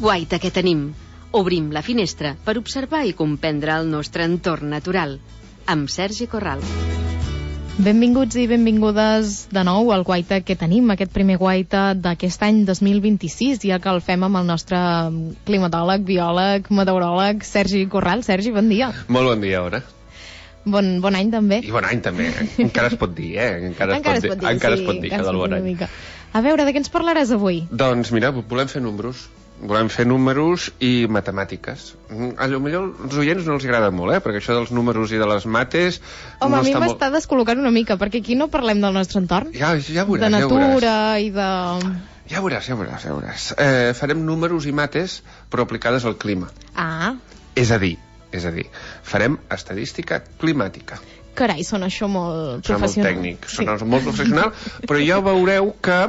guaita que tenim. Obrim la finestra per observar i comprendre el nostre entorn natural. Amb Sergi Corral. Benvinguts i benvingudes de nou al guaita que tenim, aquest primer guaita d'aquest any 2026, ja que el fem amb el nostre climatòleg, biòleg, meteoròleg, Sergi Corral. Sergi, bon dia. Molt bon dia, Aura. Bon any també. I bon any també, encara es pot dir, Encara es pot dir, que del bon any. A veure, de què ens parlaràs avui? Doncs mira, volem fer números. Volem fer números i matemàtiques. A lo millor als oients no els agrada molt, perquè això dels números i de les mates... Home, a mi m'està descol·locant una mica, perquè aquí no parlem del nostre entorn. Ja veuràs, de natura i de... Ja veuràs. Farem números i mates, però aplicades al clima. Ah. És a dir, farem estadística climàtica. Carai, sona això molt professional. Sona molt tècnic, sona molt professional, però ja veureu que...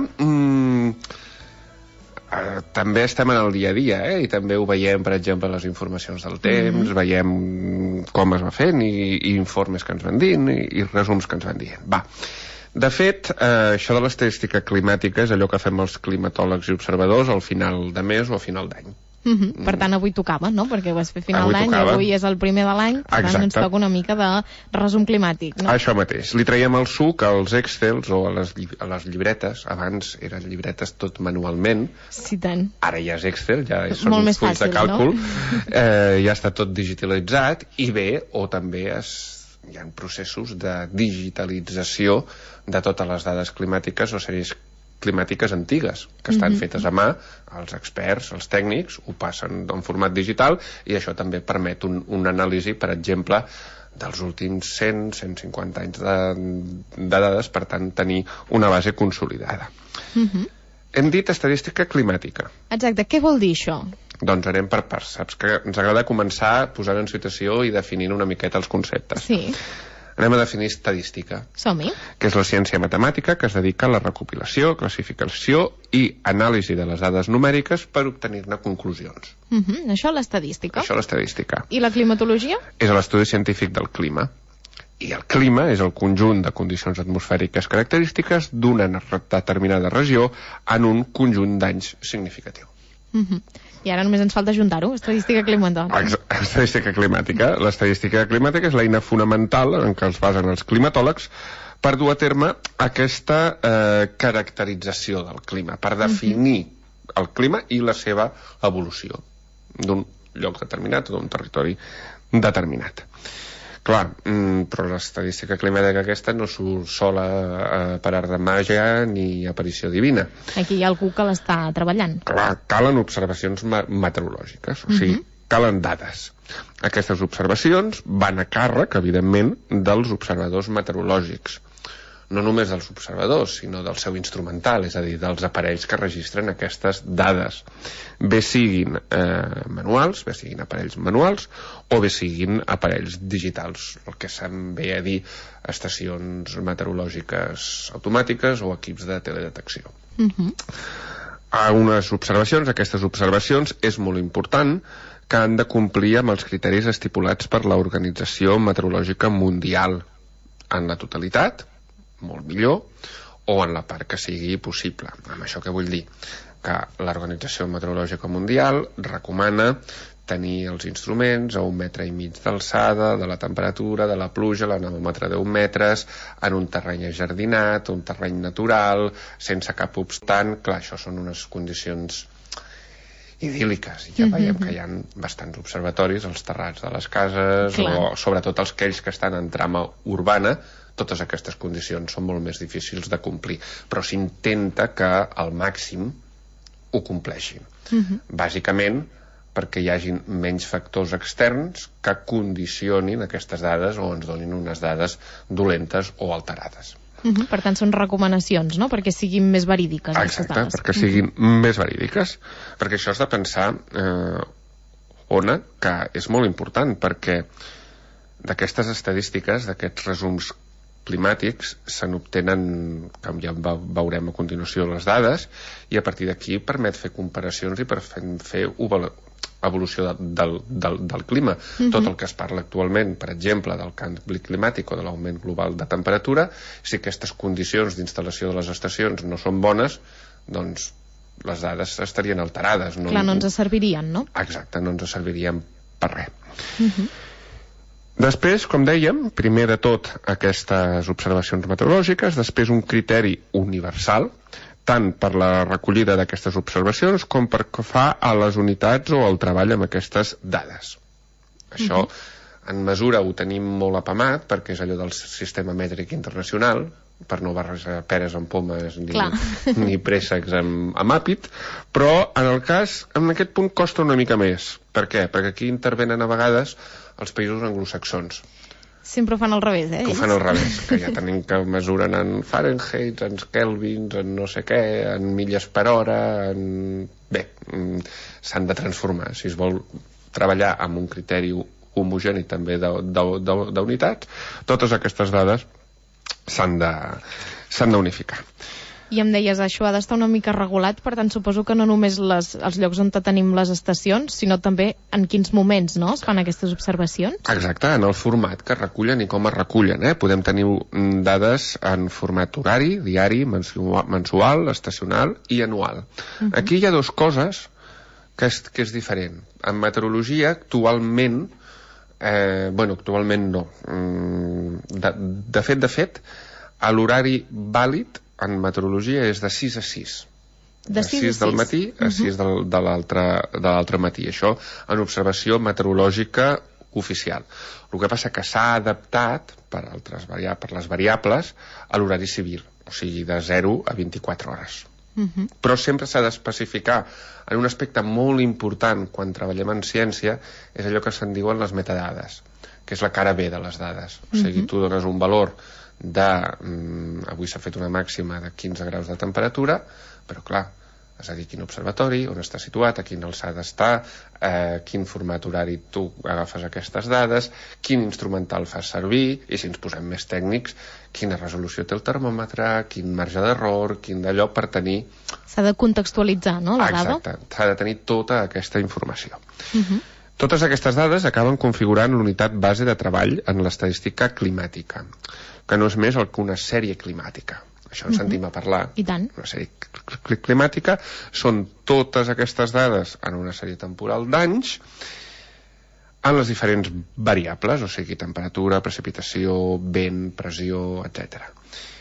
també estem en el dia a dia, i també ho veiem, per exemple, les informacions del temps, veiem com es va fent i informes que ens van dient i resums que ens van dient. De fet, això de l'estadística climàtica és allò que fem els climatòlegs i observadors al final de mes o a final d'any. Per tant, avui tocava, no? Perquè ho vas fer final d'any i avui és el primer de l'any, per tant ens toca una mica de resum climàtic, no? Això mateix. Li traiem el suc als Excels o a les llibretes. Abans eren llibretes tot manualment. Sí, tant. Ara ja és Excel, ja són uns fulls de càlcul. Ja està tot digitalitzat i bé, o també hi ha processos de digitalització de totes les dades climàtiques o sèries climàtiques antigues, que estan fetes a mà, els experts, els tècnics, ho passen en format digital i això també permet una anàlisi, per exemple, dels últims 100-150 anys de dades, per tant, tenir una base consolidada. Hem dit estadística climàtica. Exacte, què vol dir això? Doncs anem per parts. Saps que ens agrada començar posant en situació i definint una miqueta els conceptes. Sí. Anem a definir estadística. Som-hi. Que és la ciència matemàtica que es dedica a la recopilació, classificació i anàlisi de les dades numèriques per obtenir-ne conclusions. Això l'estadística. Això l'estadística. I la climatologia? És l'estudi científic del clima. I el clima és el conjunt de condicions atmosfèriques característiques d'una determinada regió en un conjunt d'anys significatiu. I ara només ens falta juntar-ho, estadística climàtica. Estadística climàtica. L'estadística climàtica és l'eina fonamental en què es basen els climatòlegs per dur a terme aquesta caracterització del clima, per definir el clima i la seva evolució d'un lloc determinat o d'un territori determinat. Clar, però l'estadística climàtica aquesta no surt sola per art de màgia ni aparició divina. Aquí hi ha algú que l'està treballant. Clar, calen observacions meteorològiques, o sigui, calen dades. Aquestes observacions van a càrrec, evidentment, dels observadors meteorològics. No només dels observadors, sinó del seu instrumental, és a dir, dels aparells que registren aquestes dades. Bé siguin manuals, bé siguin aparells manuals, o bé siguin aparells digitals, el que se'n ve a dir estacions meteorològiques automàtiques o equips de teledetecció. A unes observacions, aquestes observacions, és molt important que han de complir amb els criteris estipulats per l'Organització Meteorològica Mundial en la totalitat, molt millor, o en la part que sigui possible. Amb això què vull dir? Que l'Organització Meteorològica Mundial recomana tenir els instruments a 1,5 metres d'alçada, de la temperatura, de la pluja, l'anemòmetre 10 metres, en un terreny ajardinat, un terreny natural, sense cap obstant. Clar, això són unes condicions idíl·liques, i ja veiem que hi ha bastants observatoris als terrats de les cases, o sobretot els aquells que estan en trama urbana. Totes aquestes condicions són molt més difícils de complir, però s'intenta que al màxim ho compleixin. Bàsicament perquè hi hagin menys factors externs que condicionin aquestes dades o ens donin unes dades dolentes o alterades. Per tant, són recomanacions, no?, perquè siguin més verídiques. Exacte, perquè siguin més verídiques. Perquè això has de pensar, Ona, que és molt important, perquè d'aquestes estadístiques, d'aquests resums climàtics, se n'obtenen, com ja veurem a continuació, les dades, i a partir d'aquí permet fer comparacions i per fer evolució del clima. Tot el que es parla actualment, per exemple, del canvi climàtic o de l'augment global de temperatura, si aquestes condicions d'instal·lació de les estacions no són bones, doncs les dades estarien alterades. Clar, no ens servirien, no? Exacte, no ens servirien per res. Després, com dèiem, primer de tot aquestes observacions meteorològiques, després un criteri universal, tant per la recollida d'aquestes observacions com per que fa a les unitats o al treball amb aquestes dades. Això, en mesura, ho tenim molt apamat, perquè és allò del sistema mètric internacional, per no barrejar peres amb pomes ni préssecs amb àpid, però en el cas, en aquest punt costa una mica més. Per què? Perquè aquí intervenen a vegades els països anglosaxons. Sempre ho fan al revés, Que ho fan al revés, que ja tenim que mesuren en Fahrenheit, en kelvins, en no sé què, en milles per hora, Bé, s'han de transformar. Si es vol treballar amb un criteri homogeni també d'unitats, totes aquestes dades s'han d'unificar. I em deies, això ha d'estar una mica regulat, per tant suposo que no només els llocs on tenim les estacions, sinó també en quins moments, no?, es fan aquestes observacions? Exacte, en el format que recullen i com es recullen. Podem tenir dades en format horari, diari, mensual, estacional i anual. Aquí hi ha dues coses que és diferent. En meteorologia, actualment, actualment no. De fet, l'horari vàlid en meteorologia és de 6 a 6. De 6 del matí a 6 de l'altre matí. Això en observació meteorològica oficial. El que passa que s'ha adaptat per les variables a l'horari civil, o sigui, de 0 a 24 hores. Però sempre s'ha d'especificar en un aspecte molt important quan treballem en ciència, és allò que se'n diuen les metadades, que és la cara B de les dades. O sigui, tu dones un valor avui s'ha fet una màxima de 15 graus de temperatura, però clar, has de dir quin observatori, on està situat, a quina alçada està, quin format horari tu agafes aquestes dades, quin instrumental fas servir, i si ens posem més tècnics, quina resolució té el termòmetre, quin marge d'error, quin d'allò per tenir... S'ha de contextualitzar, no, la dada? Exacte, s'ha de tenir tota aquesta informació. Totes aquestes dades acaben configurant l'unitat base de treball en l'estadística climàtica, que no és més que una sèrie climàtica. Això en sentim a parlar. I tant. Una sèrie climàtica són totes aquestes dades en una sèrie temporal d'anys en les diferents variables, o sigui, temperatura, precipitació, vent, pressió, etc.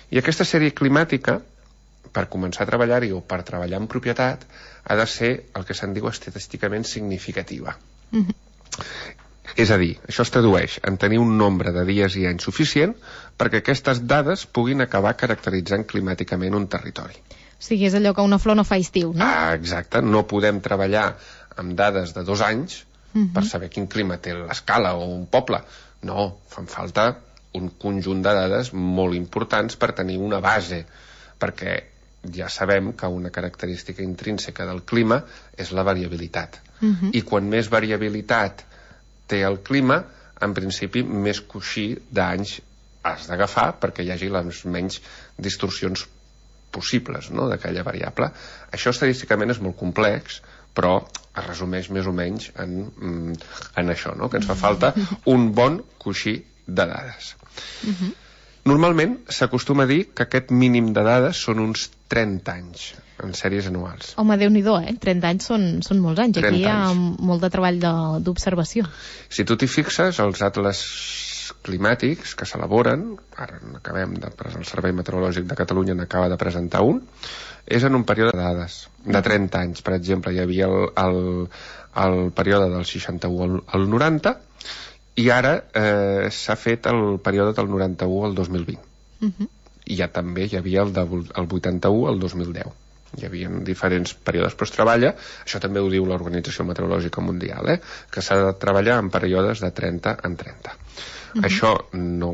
I aquesta sèrie climàtica, per començar a treballar-hi o per treballar en propietat, ha de ser el que se'n diu estadísticament significativa. És a dir, això es tradueix en tenir un nombre de dies i anys suficient perquè aquestes dades puguin acabar caracteritzant climàticament un territori. O sigui, és allò que una flor no fa estiu, no? Exacte, no podem treballar amb dades de 2 anys per saber quin clima té l'escala o un poble. No, fan falta un conjunt de dades molt importants per tenir una base, perquè ja sabem que una característica intrínseca del clima és la variabilitat. I quan més variabilitat té el clima, en principi més coixí d'anys has d'agafar perquè hi hagi les menys distorsions possibles, no?, d'aquella variable. Això estadísticament és molt complex, però es resumeix més o menys en això, no?, que ens fa falta un bon coixí de dades. Normalment s'acostuma a dir que aquest mínim de dades són uns 30 anys en sèries anuals. Home, Déu-n'hi-do, 30 anys són molts anys. Aquí hi ha molt de treball d'observació. Si tu t'hi fixes, els atles climàtics que s'elaboren, ara acabem el Servei Meteorològic de Catalunya n'acaba de presentar un, és en un període de dades de 30 anys. Per exemple, hi havia el període del 61 al 90 i ara s'ha fet el període del 91 al 2020. I ja també hi havia el 81 al 2010. Hi havia diferents períodes, però es treballa, això també ho diu l'Organització Meteorològica Mundial, que s'ha de treballar en períodes de 30 en 30. Això no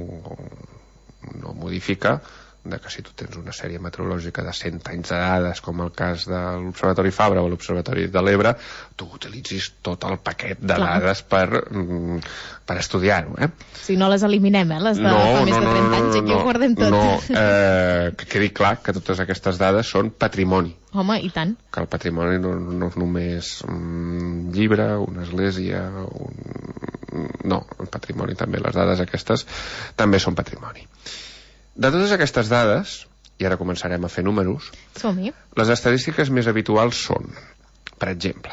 modifica que si tu tens una sèrie meteorològica de 100 anys de dades, com el cas de l'Observatori Fabra o l'Observatori de l'Ebre, tu utilitzis tot el paquet de dades per estudiar-ho. Si no les eliminem, les de fa més de 30 anys, aquí ho guardem tot. Que quedi clar que totes aquestes dades són patrimoni. Home, i tant. Que el patrimoni no és només un llibre, una església... No, el patrimoni també, les dades aquestes també són patrimoni. De totes aquestes dades, i ara començarem a fer números. Som-hi. Les estadístiques més habituals són, per exemple,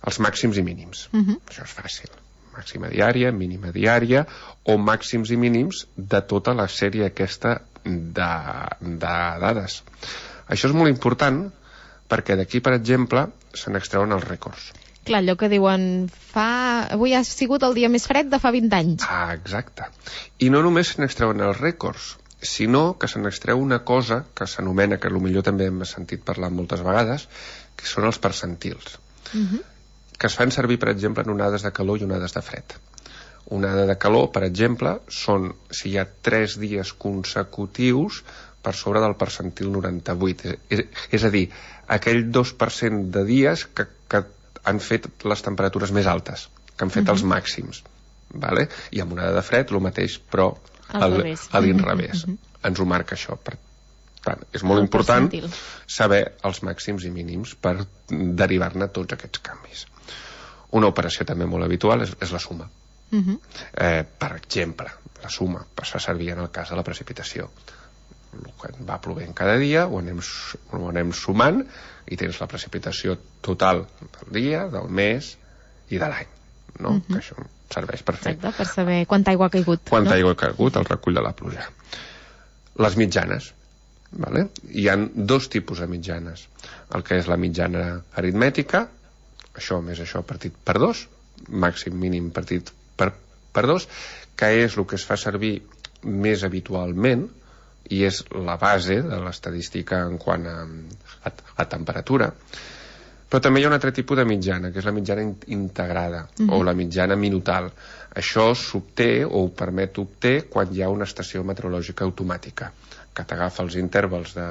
els màxims i mínims. Això és fàcil. Màxima diària, mínima diària, o màxims i mínims de tota la sèrie aquesta de dades. Això és molt important perquè d'aquí, per exemple, se n'extreuen els rècords. Clar, allò que diuen, avui ha sigut el dia més fred de fa 20 anys. Exacte. I no només se n'extreuen els rècords, sinó que se n'extreu una cosa que s'anomena, que potser també hem sentit parlar moltes vegades, que són els percentils. Que es fan servir, per exemple, en onades de calor i onades de fred. Onada de calor, per exemple, són si hi ha 3 dies consecutius per sobre del percentil 98. És a dir, aquell 2% de dies que han fet les temperatures més altes, que han fet els màxims. Vale? I amb onada de fred, el mateix, però a l'inrevés. Ens ho marca això. Per tant, és molt important saber els màxims i mínims per derivar-ne tots aquests canvis. Una operació també molt habitual és la suma. Per exemple, la suma es fa servir en el cas de la precipitació. El que va plovent cada dia ho anem sumant i tens la precipitació total del dia, del mes i de l'any, no? Que això serveix per fer. Exacte, per saber quanta aigua ha caigut. Quanta aigua ha caigut, el recull de la pluja. Les mitjanes. Vale? Hi ha 2 tipus de mitjanes. El que és la mitjana aritmètica, això més això partit per 2, màxim mínim partit per 2, que és el que es fa servir més habitualment i és la base de l'estadística en quant a temperatura. Però també hi ha un altre tipus de mitjana, que és la mitjana integrada o la mitjana minutal. Això s'obté o ho permet obté quan hi ha una estació meteorològica automàtica, que t'agafa els intervals de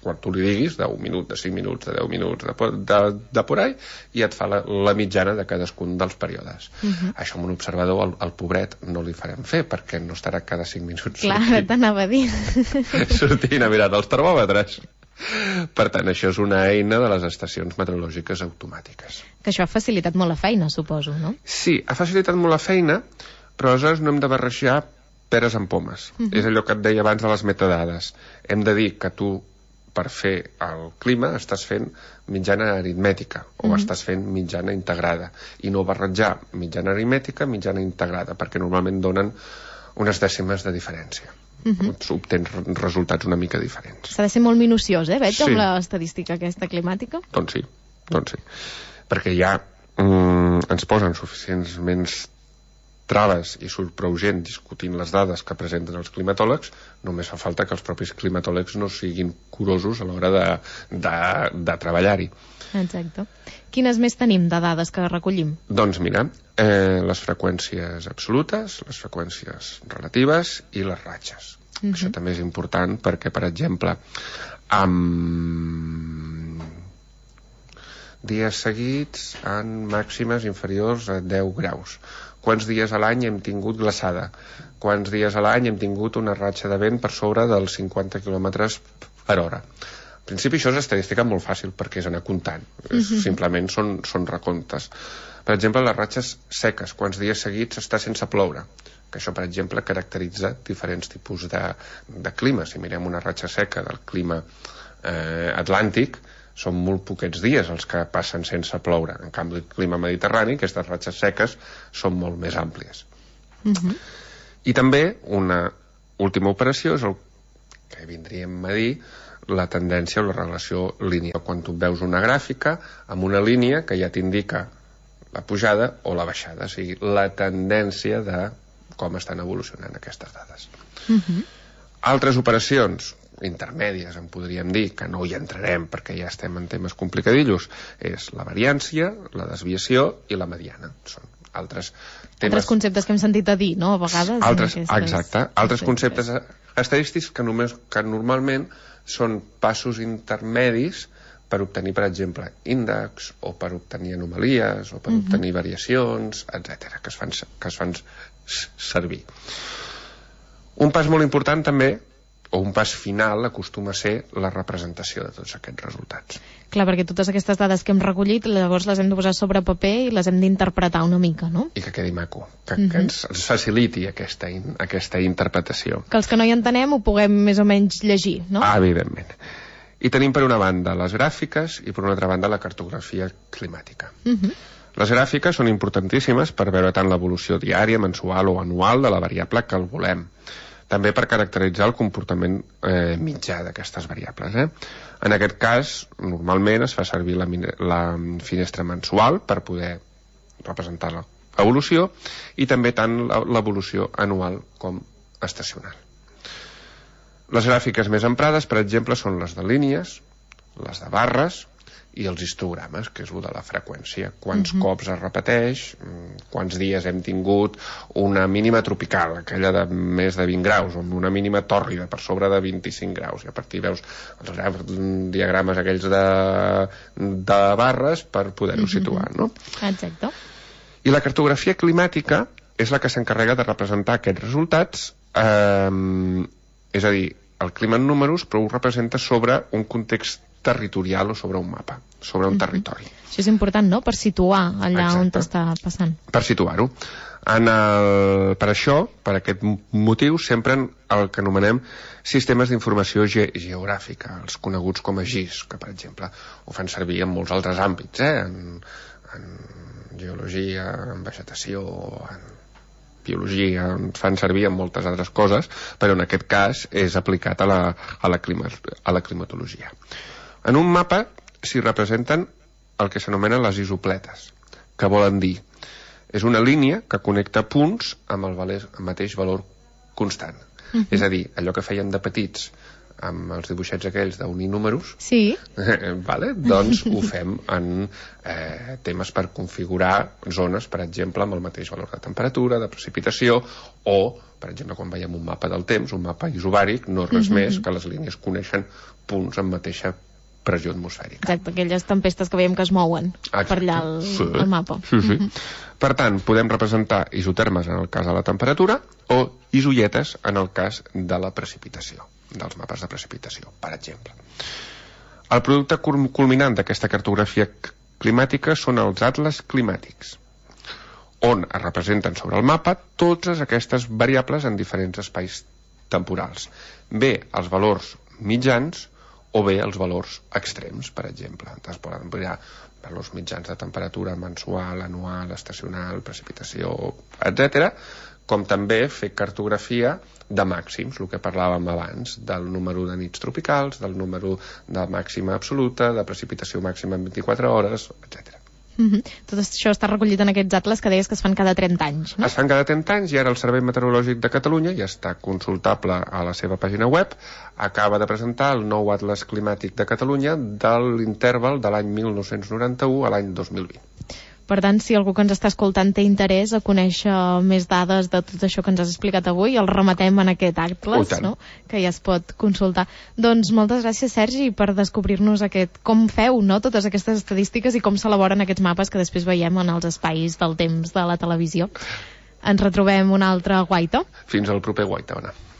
quan tu li diguis, de 1 minut, de 5 minuts, de 10 minuts, de por ahí, i et fa la mitjana de cadascun dels períodes. Això amb un observador, el pobret, no li farem fer, perquè no estarà cada 5 minuts Clar, t'anava a dir. sortint a mirar dels termòmetres. Per tant, això és una eina de les estacions meteorològiques automàtiques. Que això ha facilitat molt la feina, suposo, no? Sí, ha facilitat molt la feina, però aleshores no hem de barrejar peres amb pomes. És allò que et deia abans de les metadades. Hem de dir que tu, per fer el clima, estàs fent mitjana aritmètica o estàs fent mitjana integrada, i no barrejar mitjana aritmètica, mitjana integrada, perquè normalment donen unes dècimes de diferència. Obtens resultats una mica diferents. S'ha de ser molt minuciós, veig, amb l'estadística aquesta climàtica. Doncs sí. Perquè ja ens posen suficientment traves i surt prou gent discutint les dades que presenten els climatòlegs, només fa falta que els propis climatòlegs no siguin curosos a l'hora de treballar-hi. Exacte. Quines més tenim de dades que recollim? Doncs mira, les freqüències absolutes, les freqüències relatives i les ratxes. Això també és important perquè, per exemple, amb dies seguits en màximes inferiors a 10 graus. Quants dies a l'any hem tingut glaçada? Quants dies a l'any hem tingut una ratxa de vent per sobre dels 50 km per hora? En principi això és estadística molt fàcil perquè és anar comptant. Simplement són recomptes. Per exemple, les ratxes seques, quants dies seguits està sense ploure? Que això, per exemple, caracteritza diferents tipus de clima. Si mirem una ratxa seca del clima atlàntic, són molt poquets dies els que passen sense ploure. En canvi, el clima mediterrani, aquestes ratxes seques, són molt més àmplies. I també una última operació és el que vindríem a dir la tendència o la relació lineal. Quan tu veus una gràfica amb una línia que ja t'indica la pujada o la baixada, o sigui, la tendència de com estan evolucionant aquestes dades. Altres operacions intermèdies, en podríem dir, que no hi entrarem perquè ja estem en temes complicadillos, és la variància, la desviació i la mediana. Són altres temes... Altres conceptes que hem sentit a dir, no?, a vegades. Exacte. Altres conceptes estadístics que normalment són passos intermedis per obtenir, per exemple, índexs o per obtenir anomalies o per obtenir variacions, etc., que es fan servir. Un pas molt important també o un pas final acostuma a ser la representació de tots aquests resultats. Clar, perquè totes aquestes dades que hem recollit, llavors les hem de posar sobre paper i les hem d'interpretar una mica, no? I que quedi maco, que ens faciliti aquesta interpretació. Que els que no hi entenem ho puguem més o menys llegir, no? Evidentment. I tenim per una banda les gràfiques i per una altra banda la cartografia climàtica. Les gràfiques són importantíssimes per veure tant l'evolució diària, mensual o anual de la variable que el volem. També per caracteritzar el comportament mitjà d'aquestes variables. En aquest cas, normalment es fa servir la finestra mensual per poder representar l'evolució i també tant l'evolució anual com estacional. Les gràfiques més emprades, per exemple, són les de línies, les de barres i els histogrames, que és el de la freqüència. Quants cops es repeteix, quants dies hem tingut una mínima tropical, aquella de més de 20 graus, o una mínima tòrrida per sobre de 25 graus. I a partir veus els diagrames aquells de barres per poder-ho situar, no? Exacte. I la cartografia climàtica és la que s'encarrega de representar aquests resultats, és a dir, el clima en números, però ho representa sobre un context territorial o sobre un mapa, sobre un territori. Això és important, no?, per situar allà on t'està passant. Per situar-ho. Per això, per aquest motiu, s'empren el que anomenem sistemes d'informació geogràfica, els coneguts com a GIS, que, per exemple, ho fan servir en molts altres àmbits, en geologia, en vegetació, en biologia, fan servir en moltes altres coses, però en aquest cas és aplicat a la climatologia. En un mapa s'hi representen el que s'anomenen les isopletes, que volen dir, és una línia que connecta punts amb el mateix valor constant. És a dir, allò que fèiem de petits amb els dibuixets aquells d'unir números, sí. Doncs ho fem en temes per configurar zones, per exemple, amb el mateix valor de temperatura, de precipitació, o, per exemple, quan veiem un mapa del temps, un mapa isobàric, no res més que les línies coneixen punts amb mateixa pressió atmosfèrica. Exacte, aquelles tempestes que veiem que es mouen per allà al mapa. Sí. Per tant, podem representar isotermes en el cas de la temperatura o isoietes en el cas de la precipitació, dels mapes de precipitació, per exemple. El producte culminant d'aquesta cartografia climàtica són els atles climàtics, on es representen sobre el mapa totes aquestes variables en diferents espais temporals. Bé els valors mitjans o bé els valors extrems, per exemple. Es poden mirar valors mitjans de temperatura mensual, anual, estacional, precipitació, etc., com també fer cartografia de màxims, el que parlàvem abans, del número de nits tropicals, del número de màxima absoluta, de precipitació màxima en 24 hores, etc. Tot això està recollit en aquests atles que deies que es fan cada 30 anys, no? Es fan cada 30 anys i ara el Servei Meteorològic de Catalunya ja està consultable a la seva pàgina web. Acaba de presentar el nou Atles Climàtic de Catalunya de l'interval de l'any 1991 a l'any 2020. Per tant, si algú que ens està escoltant té interès a conèixer més dades de tot això que ens has explicat avui, el rematem en aquest atles, no?, que ja es pot consultar. Doncs moltes gràcies, Sergi, per descobrir-nos com feu, no?, totes aquestes estadístiques i com s'elaboren aquests mapes que després veiem en els espais del temps de la televisió. Ens retrobem una altra guaita. Fins al proper guaita, Ona.